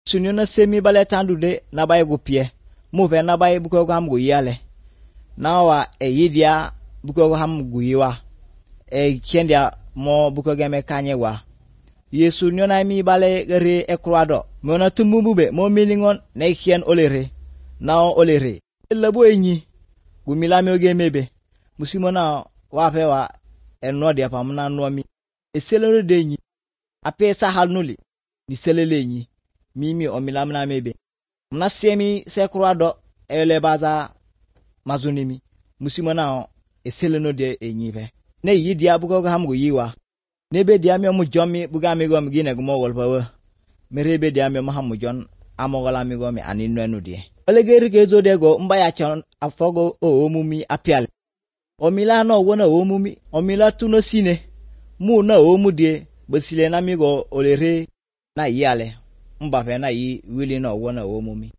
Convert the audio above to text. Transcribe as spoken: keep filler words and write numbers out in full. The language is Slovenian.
sunyo na semi bale tandu de na baye gupie mu ve na baye buko ham go yale na wa e yidia buko ham go yiwa e kendia mo buko game kanye wa yesu nyo na mi bale re e croado mo na tumbube mo milingon na hien olere na olere labo enyi gumila mi oge mebe musimo na wa pe wa enno de pamna no mi eselero de enyi apesa halnuli ni selele enyi mimi omila mna mebe mna semi se croado ele baza mazunimi musimo na eseleno de enyi be ne yidi abugo ham go yiwa nebe dia mi omu jomi buga mi go mi gine go mo wolpawa merebe dia mi mahamu jon amogola mi go mi aninu enu die olegeri ke zo de go mba ya chon afogo o omumi apial omila no wona omumi omila tuno sine mu na omudie besile na mi go olere na yale mba fe na yi wili no wona omumi